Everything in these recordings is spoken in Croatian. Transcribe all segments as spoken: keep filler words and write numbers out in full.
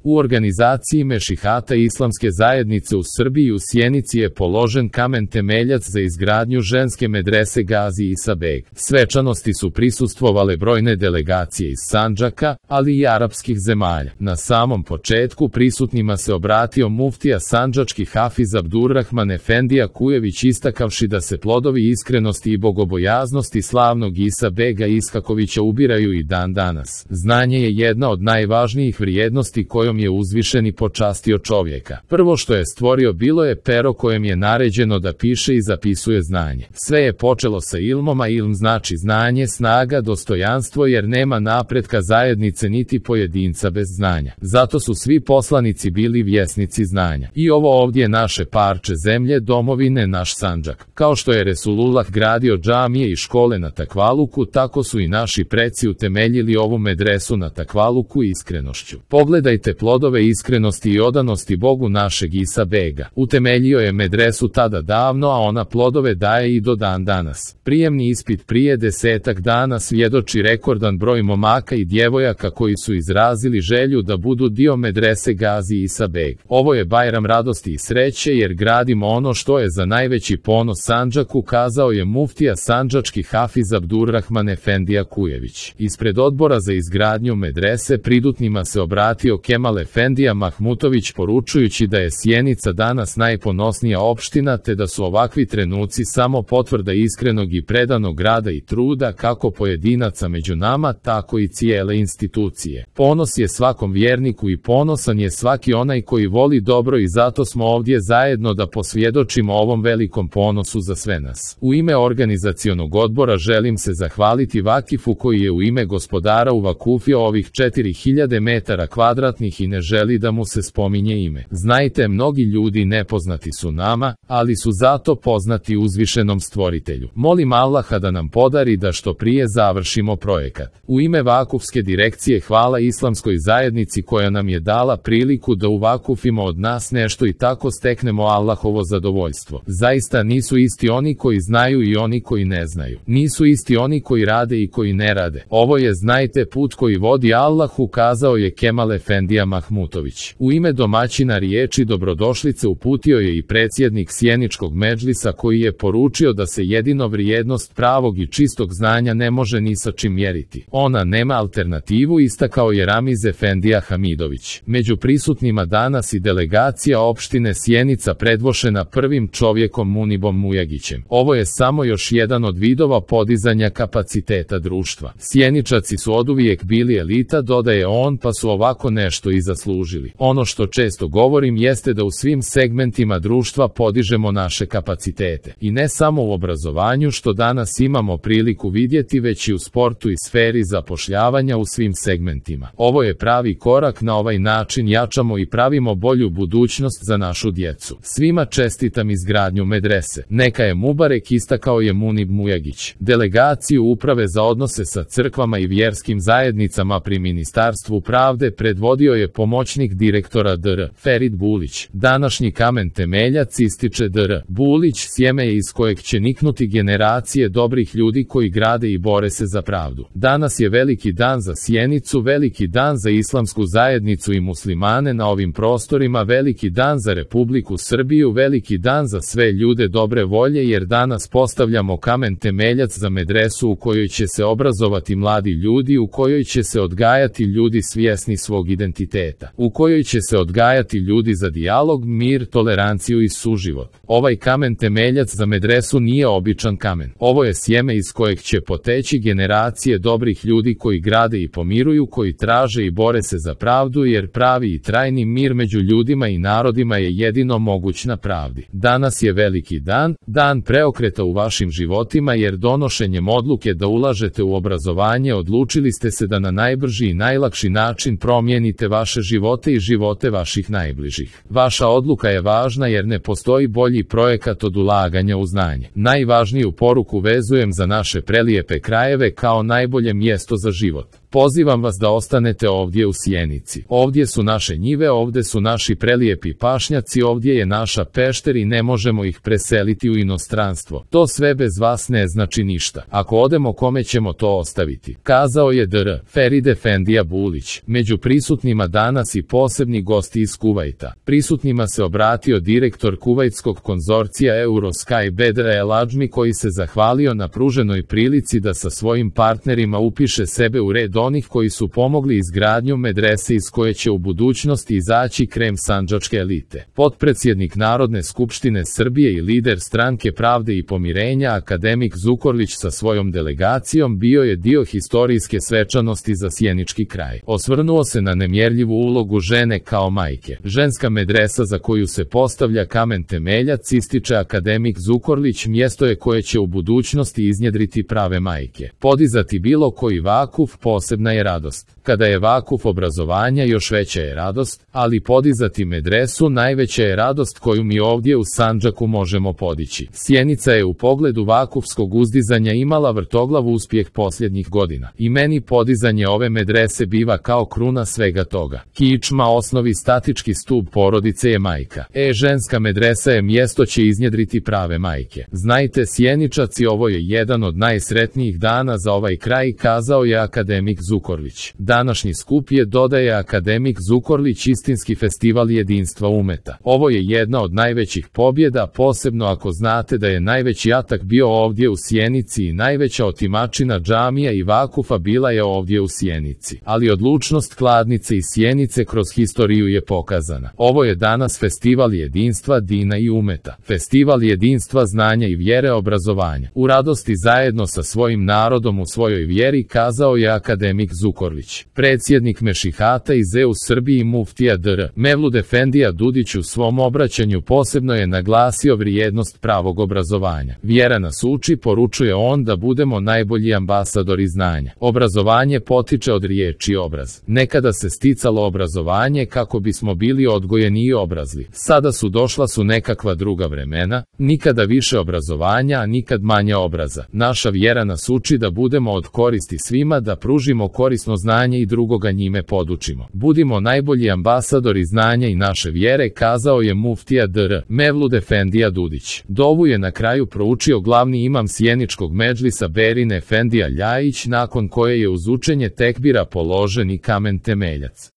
U organizaciji Mešihata Islamske zajednice u Srbiji u Sjenici je položen kamen temeljac za izgradnju ženske medrese Gazi Isa Beg. Svečanosti su prisustvovale brojne delegacije iz Sandžaka, ali i arapskih zemalja. Na samom početku prisutnima se obratio muftija sandžački Hafiz Abdurrahman Efendija Kujević, istakavši da se plodovi iskrenosti i bogobojaznosti slavnog Isa Bega Iskakovića ubiraju i dan danas. Znanje je jedna od najvažnijih vrijednosti kojom je uzvišeni počastio čovjeka. Prvo što je stvorio bilo je pero kojem je naređeno da piše i zapisuje znanje. Sve je počelo sa ilmom, a ilm znači znanje, snaga, dostojanstvo, jer nema napretka zajednice niti pojedinca bez znanja. Zato su svi poslanici bili vjesnici znanja. I ovo ovdje je naše parče zemlje, domovine, naš Sandžak. Kao što je Resulullah gradio džamije i škole na takvaluku, tako su i naši preci utemeljili ovu medresu na takvaluku i iskrenošću. Pogledajte plodove iskrenosti i odanosti Bogu našeg Isa Bega. Utemeljio je medresu tada davno, a ona plodove daje i do dan danas. Prijemni ispit prije desetak dana svjedoči rekordan broj momaka i djevojaka koji su izrazili želju da budu dio medrese Gazi Isa Beg. Ovo je Bajram radosti i sreće, jer gradimo ono što je za najveći ponos Sandžaku, kazao je muftija sandžački Hafiz Abdurrahman Efendija Kujević. Ispred odbora za izgradnju medrese pridutnima se obratio Kemal Efendija Mahmutović, poručujući da je Sjenica danas najponosnija opština, te da su ovakvi trenuci samo potvrda iskrenog i predanog rada i truda kako pojedinaca među nama, tako i cijele institucije. Ponos je svakom vjerniku i ponosan je svaki onaj koji voli dobro, i zato smo ovdje zajedno da posvjedočimo ovom velikom ponosu za sve nas. U ime organizacionog odbora želim se zahvaliti Vakifu koji je u ime gospodara uvakufio ovih četiri hiljade metara kvadratnih i ne želi da mu se spominje ime. Znajte, mnogi ljudi nepoznati su nama, ali su zato poznati uzvišenom stvoritelju. Molim Allaha da nam podari da što prije završimo projekat. U ime Vakufske direkcije hvala Islamskoj zajednici koja nam je dala priliku da uvakufimo od nas nešto i tako steknemo Allahovo zadovoljstvo. Zaista nisu isti oni koji znaju i oni koji ne znaju. Nisu isti oni koji rade i koji ne rade. Ovo je, znajte, put koji vodi Allahu, kazao je Kemal Efendija Mahmutović. U ime domaćina riječi dobrodošlice uputio je i predsjednik Sjeničkog medžlisa koji je poručio da se jedino vrijednost pravog i čistog znanja ne može ni sa čim mjeriti. Ona nema alternativu, istakao je Ramiz Efendija Hamidović. Među prisutnima danas i delegacija opštine Sjenica predvošena prvim čovjekom Munibom Mujagićem. Ovo je samo još jedan od vidova podizanja kapaciteta društva. Sjeničaci su oduvijek bili elita, dodaje on, pa su ovako nešto i zaslužili. Ono što često govorim jeste da u svim segmentima društva podižemo naše kapacitete. I ne samo u obrazovanju, što danas imamo priliku vidjeti, već i u sportu i sferi zapošljavanja u svim segmentima. Ovo je pravi korak, na ovaj način jačamo i pravimo bolju budućnost za našu djecu. Svima čestitam izgradnju medrese. Neka je Mubarek, istakao je Munib Mujagić. Delegaciju uprave za odnose sa crkvama i vjerskim zajednicama pri Ministarstvu pravde predvodio je pomoćnik direktora D R Ferid Bulić. Današnji kamen temeljac, ističe D R Bulić, sjeme je iz kojeg će niknuti generacije dobrih ljudi koji grade i bore se za pravdu. Danas je veliki dan za Sjenicu, veliki dan za islamsku zajednicu i muslimane na ovim prostorima, veliki dan za Republiku Srbiju, veliki dan za sve ljude dobre volje, jer danas postavljamo kamen temeljac za medresu u kojoj će se obrazovati mladi ljudi, u kojoj će se odgajati ljudi svjesni svog identiteta, u kojoj će se odgajati ljudi za dijalog, mir, toleranciju i suživot. Ovaj kamen temeljac za medresu nije običan kamen. Ovo je sjeme iz kojeg će poteći generacije dobrih ljudi koji grade i pomiruju, koji traže i bore se za pravdu, jer pravi i trajni mir među ljudima i narodima je jedino moguć na pravdi. Danas je veliki dan, dan preokreta u vašim životima, jer donošenjem odluke da ulažete u obrazovanje odlučili ste se da na najbrži i najlakši način promijenite vaše živote i živote vaših najbližih. Vaša odluka je važna, jer ne postoji bolji projekat od ulaganja u znanje. Najvažniju poruku vezujem za naše prelijepe krajeve kao najbolje mjesto za život. Pozivam vas da ostanete ovdje u Sjenici. Ovdje su naše njive, ovdje su naši prelijepi pašnjaci, ovdje je naša pešter i ne možemo ih preseliti u inostranstvo. To sve bez vas ne znači ništa. Ako odemo, kome ćemo to ostaviti? Kazao je dr. Ferid Efendija Bulić. Među prisutnima danas i posebni gosti iz Kuvajta. Prisutnima se obratio direktor kuvajtskog konzorcija Eurosky Bedr El Adžmi, koji se zahvalio na pruženoj prilici da sa svojim partnerima upiše sebe u red onih koji su pomogli izgradnju medrese iz koje će u budućnosti izaći krem sandžačke elite. Potpredsjednik Narodne skupštine Srbije i lider Stranke pravde i pomirenja akademik Zukorlić sa svojom delegacijom bio je dio historijske svečanosti za sjenički kraj. Osvrnuo se na nemjerljivu ulogu žene kao majke. Ženska medresa za koju se postavlja kamen temeljac, ističe akademik Zukorlić, mjesto je koje će u budućnosti iznjedriti prave majke. Podizati bilo koji vakuf posebna je radost. Kada je vakuf obrazovanja, još veća je radost, ali podizati medresu najveća je radost koju mi ovdje u Sandžaku možemo podići. Sjenica je u pogledu vakufskog uzdizanja imala vrtoglav uspjeh posljednjih godina. I meni podizanje ove medrese biva kao kruna svega toga. Kičma, osnovi statički stup porodice je majka. E, ženska medresa je mjesto će iznjedriti prave majke. Znajte Sjeničaci, ovo je jedan od najsretnijih dana za ovaj kraj, kazao je akademik Zukorlić. Današnji skup je, dodaje akademik Zukorlić, istinski festival jedinstva umeta. Ovo je jedna od najvećih pobjeda, posebno ako znate da je najveći atak bio ovdje u Sjenici i najveća otimačina džamija i vakufa bila je ovdje u Sjenici. Ali odlučnost Kladnice i Sjenice kroz historiju je pokazana. Ovo je danas festival jedinstva, dina i umeta. Festival jedinstva, znanja i vjere, obrazovanja. U radosti zajedno sa svojim narodom u svojoj vjeri, kazao je akademik Zukorlić. Predsjednik Mešihata iz E U Srbiji muftija dr. Mevlud Efendija Dudić u svom obraćanju posebno je naglasio vrijednost pravog obrazovanja. Vjera nas uči, poručuje on, da budemo najbolji ambasadori znanja. Obrazovanje potiče od riječi obraz. Nekada se sticalo obrazovanje kako bismo bili odgojeni i obrazli. Sada su došla su nekakva druga vremena, nikada više obrazovanja, a nikad manje obraza. Naša vjera nas uči da budemo od koristi svima, da pružimo korisno znanje i drugoga njime podučimo. Budimo najbolji ambasadori znanja i naše vjere, kazao je muftija dr. Mevlud Efendija Dudić. Dovu je na kraju proučio glavni imam sjeničkog medžlisa Berin Efendija Ljajić, nakon koje je uz učenje tekbira položen i kamen temeljac.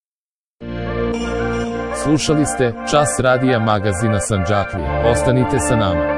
Slušali ste Čas radija magazina Sandžaklija. Ostanite sa nama.